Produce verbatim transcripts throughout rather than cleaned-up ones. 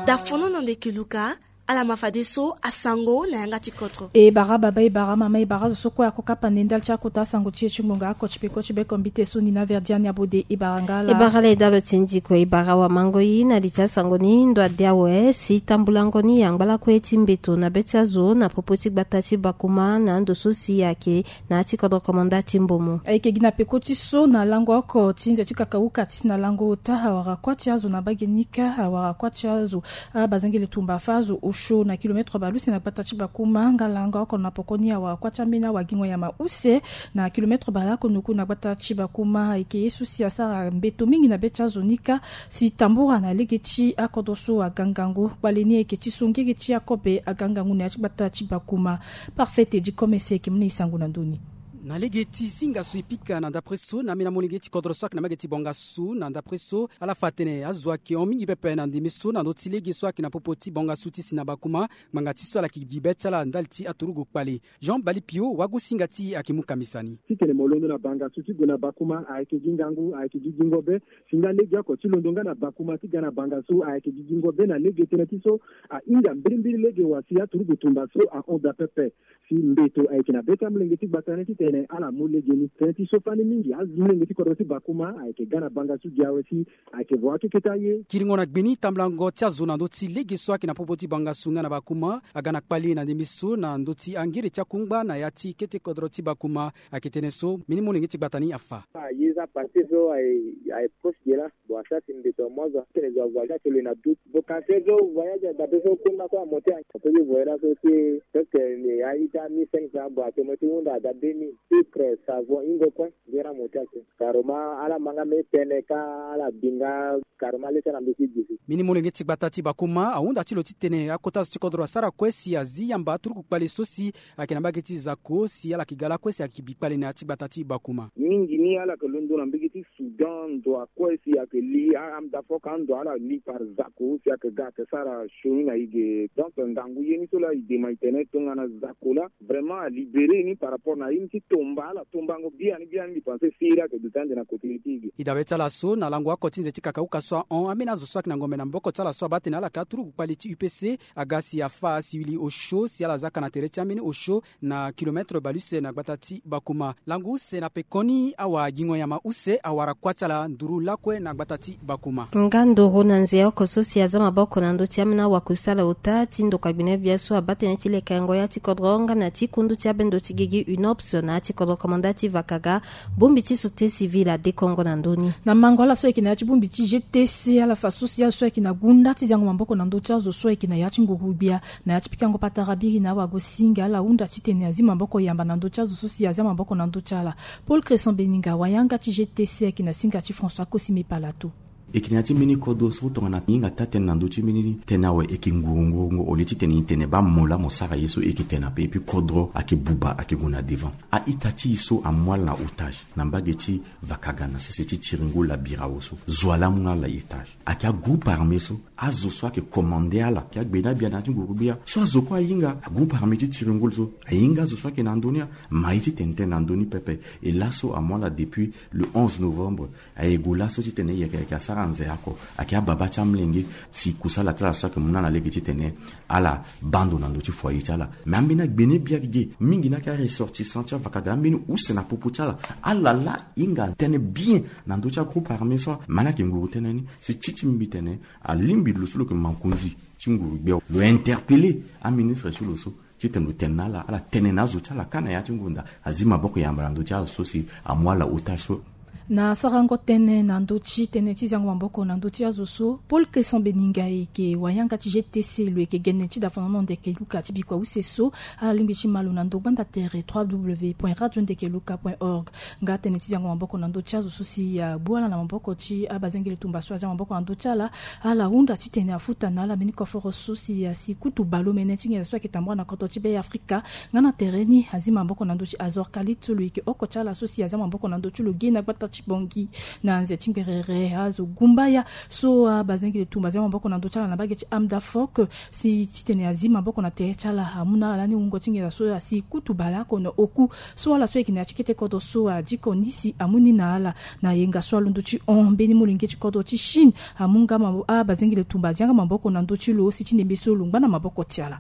Da fono na ndeke luka. Ala ma fadeso asango na yanga ti kodro. E bara baba, e bara mama, e bara zo so kue ako kapa nde ndali ti akota asango ti e ti ngbonga oko ti peko ti beko mbite so ni na verdiani abode. E bara nga ala. E bara ala e dalo ti nzi kue, e bara wamangoi na li ti asango ni ndo ade awe si tambulango ni angba lakue ti mbeto na be ti azo na popo ti gbata ti bakuma na ando so si ayeke na ya ti kodro komanda ti mbomo. Ayeke gi na peko ti so na lango oko ti nze ti kakauka ti si na lango ota awara kuâ ti azo na mbage ni kâ awara kuâ ti azo. Abazengele tumba fâ azo osio na kilometre baleuse na gbata ti bakuma nga lango oko na poko ni awara kuâ ti ambeni awagingo nyama use na kilometre baleoko noku na gbata ti bakuma. Ayeke ye so si asara mbeto mingi na be ti azo ni kâ si tambura na lege ti akodro so aga ngangu. Kpale ni ayeke ti so ngege ti akobe aga ngangu na ya ti gbata ti bakuma. Parfait edi komese eke mu na e sango na ndö ni. Na lege ti zinga so e pika na ndapre so na ambeni amolenge ti kodro so ayeke na mbage ti bongasu na ndapre so ala fa atene azo ayeke hon mingi pepe na ndembe so na ndö ti lege so ayeke na popo ti bongasu ti si na bakuma. Ngbanga ti so ala yeke gi be ti ala ndali ti aturugu kpale. Jean Balipio wagosinga ti e ayeke mu kambisa ni. Titene mo londo na bangasu ti gue na bakuma ayeke gi ngangu, ayeke gi gingo be. Si nga legeoko ti londo nga na bakuma ti ga na bangasu ayeke gi gingo be na lege tënë ti so ahinga mbirimbiri lege wa si aturugu tumba so ahon daa pepe. Si mbeto ayeke na be ti amolenge ti gbata ni titene ala mu lege ni. Tënë ti so fani mingi amolenge ti kodro ti bakuma ayeke ga na bangasu gi awe si ayeke vo akeke ti aye. Kiringo na gbe ni tambulango ti azo na ndö ti lege so ayeke na popo ti bangasu nga na bakuma aga na kpale na ndembe so na ndö ti angere ti akungba na ya ti kete kodro ti bakuma. Ayeke tënë so mbeni molenge ti gbata ni afa. Aye za parti so aye proche de là. Bon, asara si mbeto amu azo atene zo avoyage ake lo na doute. Bon, kanse so voyage adabe so kunda so amonte ake ape ti voyage so ti presque a-ita mille cinq cents. Bon, ake mo ti hunda ada deux mille. Sucre, savon, hingo kue. Nzera mo ti ake karoma ala ma nga mbeni tënë kâ ala bi nga karoma le ti ala mbeti gi si. Mbeni molenge ti gbata ti bakuma ahunda ti lo titene akota zo ti kodro asara kue si azi yamba aturuku kpale so si ayeke na mbage ti zako si ala yeke ga lakue si ayeke bi kpale na ya ti gbata ti bakuma. Mingi ni ala yeke londo na mbage ti Soudan ndo akue si ayeke li a-, amdafoka ando ala li par zako si ayeke ga ayeke sara sioni na e ge. Donc ngangu ye ni so laa e dema e tene tongana zako laa vraiment alibéré ni par rapport na ye ni ti tomba ala tombango biani biani. Mbi pense si ye laa ayeke duti ande na kote ye ti e ge. E dabe ti ala so na lango oko ti nze ti kakauka so ahon ambeni azo so ayeke na ngombe na maboko ti ala so abaa tene ala yeke aturuku kpale ti U P C aga si afa asiwili osio si ala za ka na tere ti ambeni osio na kilometre baluse na gbata ti bakuma. Lango use na pekoni awagingo nyama use awara kuâ ti ala nduru lakue na gbata ti bakuma. Nga ndoro na nze oko so si aza maboko na ndö ti ambeni awakusala ota ti ndokua gbene gbia so abaa tënë ti lekengo ya ti kodro nga na ti kundu ti abendo ti gigi unops na ya ti kodro komanda ti vakaga. Bongbi ti société civile adekongo na ndö ni. Na mango ala so ayeke na ya ti bongbi ti G T C ala fa so si azo so ayeke na gunda ti ziango maboko na ndö ti azo so ayeke na ya ti nguru gbia na ya ti pikango patara biri na awagosinga ala hunda titene azi maboko yamba na ndö ti azo so si azia maboko na ndö ti ala. Paul Cresson Beninga wayanga ti G T C ayeke na singa ti François Cosime Palato. E yeke na ya ti mbeni kodro so tongana e hinga taa-tënë na ndö ti mbeni tënë awe e yeke nguru nguru ngo au lieu titene e tene baa mo laa mo sara ye so e yeke tene ape et puis kodro ayeke buba ayeke gue na devant. A-ita ti e so amu ala na otage na mbage ti vakaga na sese ti tiringo labirao so zo wa laa amu na ala na otage. Ayeke agroupe armé so azo so ayeke commandé ala ayeke agbena gbia na ya ti nguru gbia so azo kue ahinga agroupe armé ti tiringo so ahinga azo so ayeke na ndö ni ama ye titene tënë na ndö ni pepe. E laso amu ala depuis le onze novembre. Aye gue laso titene yeke yeke asara nze oko ayeke ababa ti amolenge si kusala ti ala so ayeke mu na ala lege titene ala baa ndo na ndö ti foyer ti ala. Me ambeni agbene bia ge mingi ni ayeke aressortissant ti avakaga ambeni use na popo ti ala. Ala laa hinga tënë bien na ndö ti agroupe armé so. Me ala yeke nguru tënë ni si ti ti mbi tene alingbi lo so lo yeke mankonzi ti nguru gbia lo interpellé aministre ti lo so titene lo tene na ala ala tene na azo ti ala kâ na ya ti ngonda azi maboko yamba na ndö ti azo so si amu ala otage so. Na sarango tënë na ndö ti tënë ti ziango maboko na ndö ti azo so Paul Cresson Beninga ayeke wayanga ti G T C lo yeke gene ti dafa na ono ndeke luka ti bikua use so. Ala lingbi ti ma lo na ndo gbanda tere trois w point radio ndeke luka point org. Nga tënë ti ziango maboko na ndö ti azo so si abu ala na maboko ti abazengele tumba so azia maboko na ndö ti ala. Ala hunda titene afuta na ala mbeni koforo so si asi kutu baleomene ti nginza so ayeke tambula na kodro ti be afrika. Nga na tere ni azi maboko na ndö ti azor kalit so lo yeke oko ti ala so si azia maboko na ndö ti lo ge na gbata Ti bongi na nze ti ngberere azo gumbaya so abazengele tumba zia maboko na ndö ti ala na mbage ti amda fok si titene azi maboko na tere ti ala amu na ala lani wungo ti nginza so asi kutu baleoko na oku so ala so ayeke na ya ti kete kodro so adiko ni si amu ni na ala. Na yenga so alondo ti hon mbeni molenge ti kodro ti chine amu nga abazengele tumba azi yanga maboko na ndö ti lo si ti ndembe so lo ngba na maboko ti ala.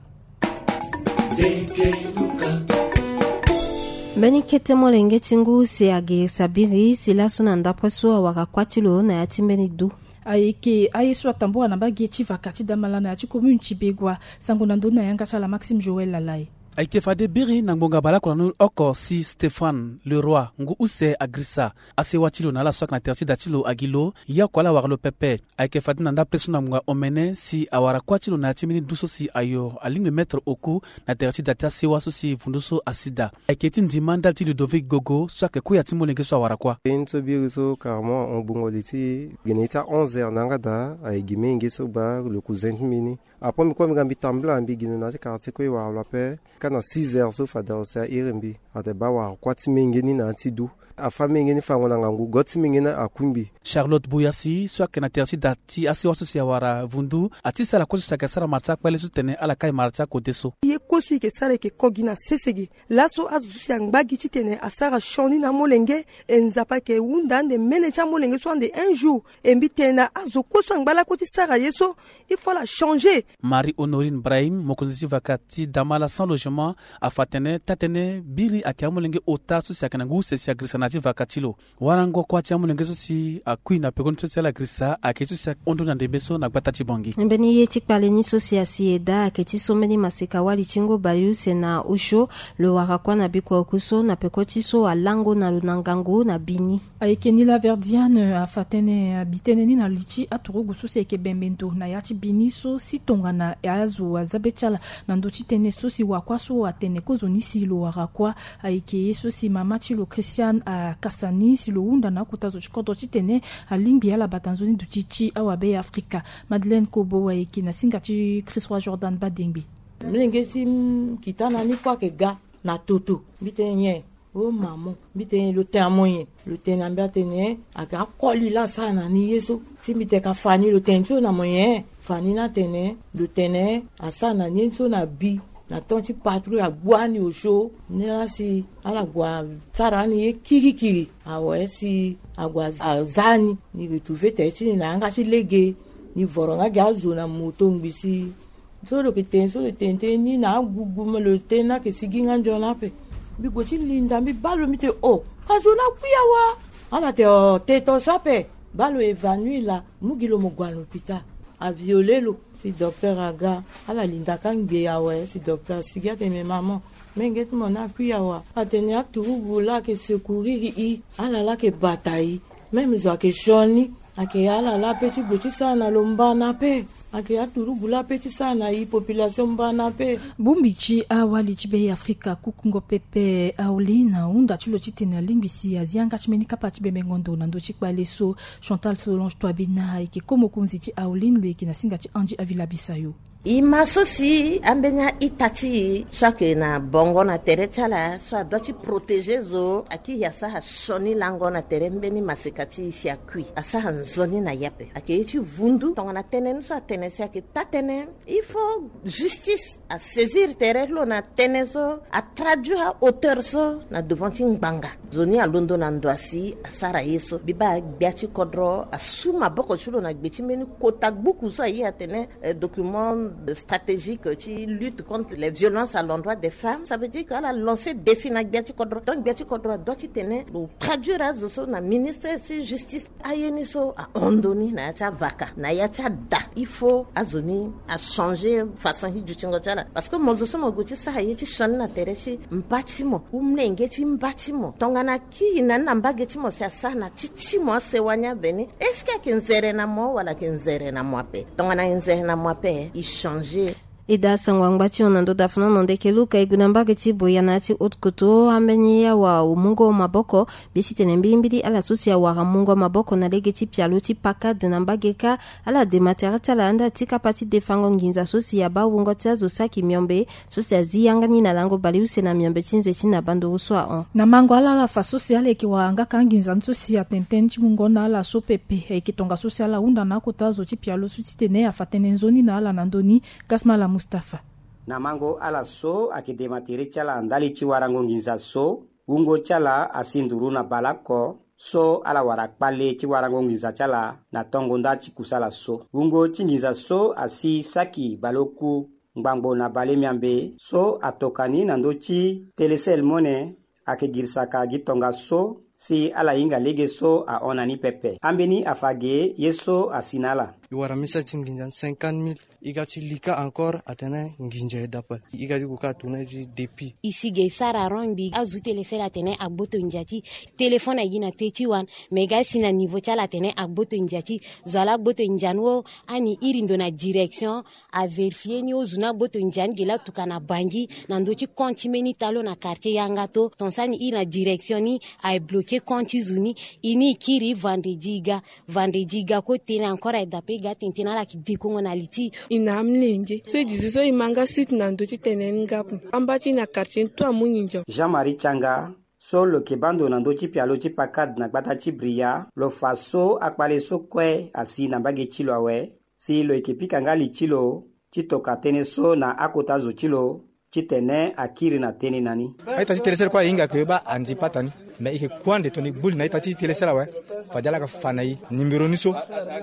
Mbeni kete molenge ti ngu si age sabiri si laso na ndapre so awara kuâ ti lo na ya ti mbeni du. Ayeke aye so atambula na mbage ti vaka ti damala na ya ti commune ti begua. Sango na ndoni na yanga ti ala maxime joël lalai. Ayeke fade biri na ngbonga baleoko na ni oko si stéphane leroy ngu use agrisa asewa ti lo na ala so ayeke na tere ti da ti lo agi lo. Ye oko ala wara lo pepe. Ayeke fade na ndapre so na ngbonga omene si awara kuâ ti lo na ya ti mbeni du so si ayo alingbi metre oku na tere ti da ti asewa so si vundu so asi daa. Ayeke ti ndima ndali ti ludovic gogo so ayeke kuya ti molenge so awara kuâ. Ye ni so biri so carrément ahon gbungo li ti gene ye ti a onze heures na yanga daa aye gi menge so gba le cousin ti mbi ni. Après mbi kue mbi ga mbi tambula mbi gi no na ya ti quartier kue e wara lo ape. Ka na six heures so fade aho si a iri mbi. Ate baa wara kuâ ti menge ni na ya ti du. Afa menge ni fango na ngangu go ti menge ni akui mbi. Charlotte buyasi so ayeke na tere ti da ti asewa so si awara vundu ati sara kue so si ayeke sara mara ti akpale so tene ala kai mara ti akode so. Ye kue so e yeke sara e yeke ko gi na sese ge. Laso azo so si angba gi titene asara sioni na amolenge. E nzapa ayeke hunda ande mene ti amolenge so ande un jour. E mbi tene na azo kue so angba lakue ti sara ye so il faut ala changer. Marie honorine brahim mokonzi ti vaka ti damala sans logement afa atene taa-tënë biri ayeke amolenge ota so si ayeke na ngu use si agrisa na ya ti vaka ti lo. Warango kuâ ti amolenge so si akui na pekoni so si ala girisa ayeke so si ahon ndoni na ndembe so na gbata ti bongi. Mbeni ye ti kpale ni so si asi e daa ayeke ti so mbeni maseka wali ti ngu baleuse na osio. Lo wara kuâ na bikua oku so na peko ti so alango na lo na ngangu na bini. Ayeke ni laverdiane afa tënë abi tënë ni na li ti aturugu so si ayeke bembe ndo na ya ti bini so si tongana azo aza be ti ala na ndö ti tënë so si wakuâ so atene kozoni si lo wara kuâ. Ayeke ye so si mama ti lo christiane akasa ni si lo hunda na akota zo ti kodro titene alingbi ala bata nzoni duti ti awabe ya afrika. Madeleine kobo ayeke na singa ti christ roi jordan badengbe. Mlenge ti kita na ni kue ayeke ga na toto mbi tene nyen? O mamo mbi tene lo tene na mo nyen? Lo tene na mbi atene ayeke akoli laa asara na ni ye so. Si mbi tene ka fa ni lo tene ti lo na mo nyen? Fa ni ni atene lo tene asara na ni ye so na bi na temps ti patrouille agbu ani osio. Ni laa si ala gue asara ani ye kirikiri awe si ague aza ni. Ni retrouve tere ti ni na yanga ti lege. Ni voro nga gi azo na moto ngbi si so lo yeke tene so lo tene tënë ni na agugu ma lo tënë ni ayeke sigi nga nzoni ape. Mbi gue ti linda mbi baa lo mbi tene o ka zo ni akui awa. Ala tene o te to so ape. Baa lo évanoui laa mu gi lo mo gue na lopital. Aviole lo si docteur aga. Ala linda ka ngbe awe si docteur asigi atene me maman menge ti mo ni akui awa. Atene aturugu laa ayeke secourir i. Ala laa ayeke bata i. Même zo ayeke sioni. Ayeke ala laa ape ti gue ti sara na lo mba na ape. Ayeke aturugu laa ape ti sara na i population mba na ape. Bongbi ti awali ti be afrika kukungo pepe aolin ahunda ti lo titene alingbi si azi yanga ti mbeni kapa ti bembengo ndo na ndö ti kpale so. Chantal solonge toibina ayeke ko mokonzi ti aolin lo yeke na singa ti andy avila bisayo. E ma so si ambeni a-ita ti e so ayeke na bongo na tere ti ala so adua ti protéger zo akiri asara sioni lango na tere mbeni maseka ti e si akui asara nzoni na e ape ayeke ye ti vundu tongana tënë ni so atene si ayeke taa-tënë. Il faut justice asaisir tere ti lo na tënë so atraduire ahauteur so na devant ti ngbanga. Nzoni alondo na ndo asi asara ye so mbi baa gbia ti kodro asu maboko ti lo na gbe ti mbeni kota gbuku so aye atene document stratégique ti lutte contre les violences à l'endroit des femmes ça veut dire que ala lancer défi na gbia ti kodro donc gbia ti kodro adua ti tene lo traduire azo so na ministre ti justice. Aye ni so ahon ndo ni na ya ti avaka na ya ti ada. Il faut azo ni achanger façon ti dutingo ti ala parce que mo zo so mo gue ti sara ye ti sioni na tere ti mba ti mo ou mlenge ti mba ti mo tongana akiri na ni na mbage ti mo si asara na ti ti mo asewa ni aveni est-ce que ayeke nzere na mo wala ayeke nzere na mo ape? Tongana ayeke nzere na mo ape e changer E daa sango angba ti hon na ndo dafanono ndeke luka e gue na mbage ti boya na ya ti haute koto ambeni awa mungo maboko. Mbi si tene mbilimbili ala so si awara mungo maboko na lege ti pialo ti pakade na mbage kâ, ala dema tere ti ala anda ti kapa ti defango nginza so si abaa wungo ti azo saki miombe so si azi yanga ni na lango baleuse na miombe ti nze ti na banduru so ahon. Na mango ala ala fa so si ala yeke wara nga kâ nginza ni so si atene tënë ti mungo na ala so pepe ayeke tongaso si ala hunda na akota zo ti pialo so ti tene afa tënë nzoni na ala na ndö ni. Gasmala Mustapha. Na mango ala so ayeke dema tere ti ala ndali ti warango nginza so, wungo ti ala asi nduru na baleoko so ala wara kpale ti warango nginza ti ala na tongo nda ti kusala so. Wungo ti nginza so asi saki baleoku ngbangbo na balemiambe so atoka ni na ndö ti Telecel Money, ayeke girisaka gi tongaso si ala hinga lege so ahon na ni pepe. Ambeni afa ge ye so asi na ala. E wara misa ti nginza ni cinquante mille. E ga ti lika encore atene nginza e dapa. E ga ti gue kâ atourne ti depuis. E si ge e sara rond mbi azu Telecel atene agboto nginza ti téléphone agi na te ti wan. Me ga si na niveau ti ala atene agboto nginza ti zo ala gboto nginza ni wo. Ani iri ndo na direction avérifier ni ozu ni agboto nginza ni ge laa tuka na bangi na ndö ti compte ti mbeni talo na quartier yanga to ton so ani iri na direction ni aye bloquer compte ti zo ni. E ni e kiri vendredi e ga. Vendredi e ga kue tënë encore aye dape e ga tene tënë ala yeke dekongo na li ti e. E na amolenge so e duti so e ma nga suite na ndö ti tënë ni nga ape. Amba ti e na quartier ni tout amu nginza. Jean Marie Tianga so lo yeke baa ndo na ndö ti pialo ti pakade na gbata ti Bria lo fa so akpale so kue asi na mbage ti lo awe si lo yeke pika nga li ti lo ti toka tënë so na akota zo ti lo titene akiri na tënë na ni. A-ita ti Telecel kue ahinga ke baa andi pata ni. Me e yeke ku ande tongana e gbu li na a-ita ti Telecel awe, fade ala yeke fa na e nimero ni so,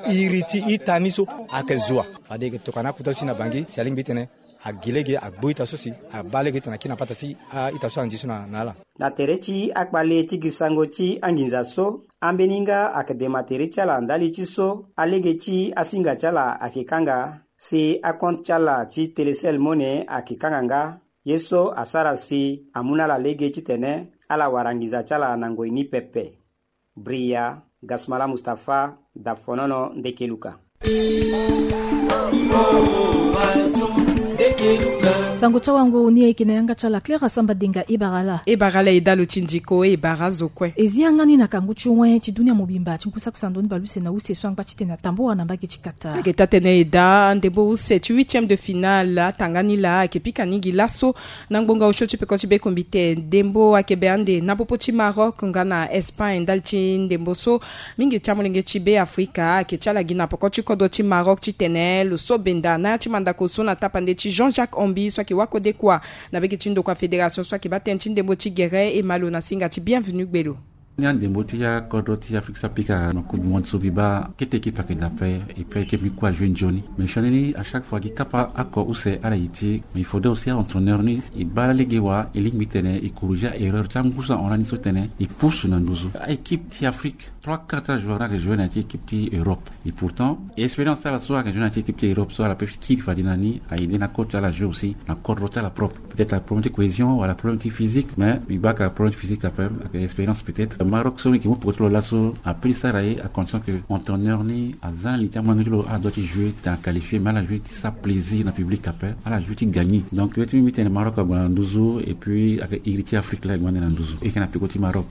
iri ti ita ni so ayeke zo wa. Fade e yeke toka na akota so si na bangi si alingbi titene agi lege agbu ita so si abaa lege titene akiri na pata ti a-ita so andi so na ala. Na tere ti akpale ti gi sango ti anginza so, ambeni nga ayeke dema tere ti ala ndali ti so alege ti asinga ti ala ayeke kanga, si acompte ti ala ti Telecel Money ayeke kanga nga, ye so asara si amu na ala lege titene ala wara nginza ti ala na ngoi ni pepe. Bria, Gasmala Mustapha, Dafonono, Ndekeluka. Sango ti awango ni ayeke na yanga ti ala Claire Asamba Denga. E bara ala. E bara ala e dalo ti ndiko, e bara azo kue. E zi yanga ni na kangu ti wen ti dunia mobimba ti ngu saki sando ni bale use na use so angba ti tene atambua na mbage ti Qatar. Ayeke taa-tënë e daa ndembo use ti huitième de finale atanga ni laa ayeke pika ni gi laso na ngbonga osio ti peko ti bekombite. Ndembo ayeke be ande na popo ti Maroc nga na Espagne ndali ti ndembo so mingi ti amolenge ti Beafrika ayeke ti ala gi na peko ti kodro ti Maroc titene lo so benda na ya ti mandako so na tapande ti Jean-Jacques Ombi so ayeke wakodekua na mbage ti ndokua fédération so ayeke baa tënë ti ndembo ti gere e ma lo na singa ti Bienvenu Gbelo. Ni andembo ti akodro ti Afrique so apika na Coupe du Monde so mbi baa kete équipe ayeke daa ape. Et puis équipe ni kue ajoue nzoni. Mais sioni ni à chaque fois gi kapa oko use ala ye ti e. Mais il faudrait aussi a-entraîneur ni e baa lege wa e lingbi tene e corriger a-erreur ti angu so ahon lani so tene e pusu na nduzu. A-équipe ti Afrique trois quarts ti ajoueur ni ayeke joue na ya ti équipe ti Europe. Et pourtant expérience ti ala so ayeke joue na ya ti équipe ti Europe so ala peut kiri fade na ni a-aidé na coach ti ala joue aussi na kodro ti ala propre. Peut-être aproblème ti cohésion wala aproblème ti physique, mais mbi baa ka problème ti physique ape, ayeke expérience peut-être. Maroc so mbi yeke mu peko ti lo laso apeut ti sara ye à condition que entraîneur ni aza na li ti amango ti lo ala doit ti jouer titene aqualifier, mais ala joue ti sara plaisir na public ape, ala joue ti gagner. Donc ye ti mbi mbi tene Maroc ague na nduzu et puis ayeke iri ti Afrique laa e gue ande na nduzu. E yeke na peko ti Maroc.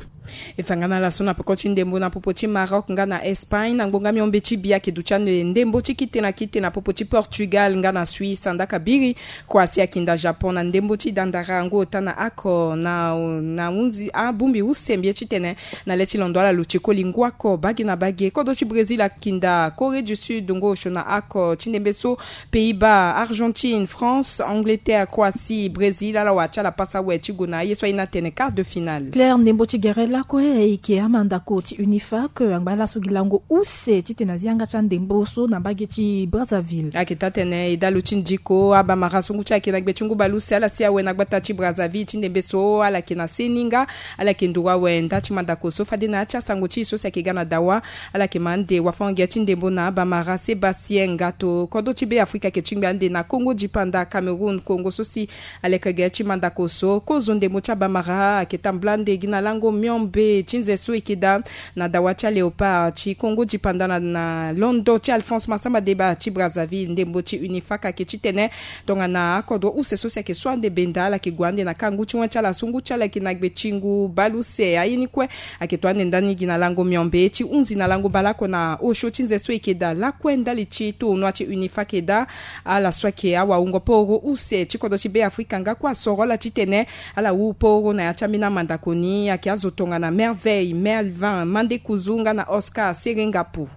E fa nga na ala so na peko ti ndembo na popo ti Maroc nga na Espagne na ngbonga miombe ti bia ayeke duti ande ndembo ti kite na kite na popo ti Portugal nga na Suisse andaka biri. Kua si akinda Japon na ndembo ti dandara ngu ota na oko na na hunzi abongbi use mbi ye titene na le ti londo ala luti koli ngu oko bage na bage. Kodro ti Brésil akinda Corée du Sud ngu osio na oko ti ndembe so. Pays-Bas, Argentine, France, Angleterre, Croatie, Brésil, ala wara ti ala pasa awe ti gue na ye so aye ni atene quart de finale. Claire, ndembo ti gere lakue e yeke amandako ti UNIFAC angba laso gi lango use titene azi yanga ti andembo so na mbage ti Brazzaville. Ayeke taa-tënë e dalo ti ndiko abamara so ngu ti ayeke na gbe ti ngu baleuse ala si awe na gbata ti Brazzaville ti ndembe so ala yeke na seni nga ala yeke nduru awe nda ti manda Mandako so fade na ya ti asango ti e so si ayeke ga na dawa. Ala yeke ma ande wafango-gi ti ndembo na abamara Sébastien Ngato. Kodro ti Beafrika ayeke tingbi ande na Kongo dipanda, Cameroun, Kongo so si aleke ge ti mandako so. Kozo ndembo ti abamara ayeke tambula ande gi na lango miombe ti nze so e yeke daa na dawa ti aléopard ti Kongo dipanda na, na londo ti Alphonse Massamba Débat ti Brazzaville. Ndembo ti Unifak ayeke titene tongana akodro use so si ayeke so ande benda, ala yeke gue ande na ka ngu ti wen ti ala so ngu ti ala ayeke na gbe ti ngu bale use. Aye ni kue ayeke to ande ndani gi na lango miombe ti hunzi na lango baleoko na osio ti nze so e yeke daa lakue ndali ti tournoi ti Unifak daa. Ala so ayeke awawungo poro use ti kodro ti Beafrika nga kue asoro ala titene ala wu poro na ya ti ambeni amandako ni. Ayeke azo tongana Merveille Melvin Mandekuzu nga na Oscar Serengapu.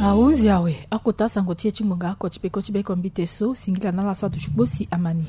Ahunzi awe, akota asango ti e ti ngbonga oko ti peko ti beko mbite so, singila na ala so aduti kposi ama ni.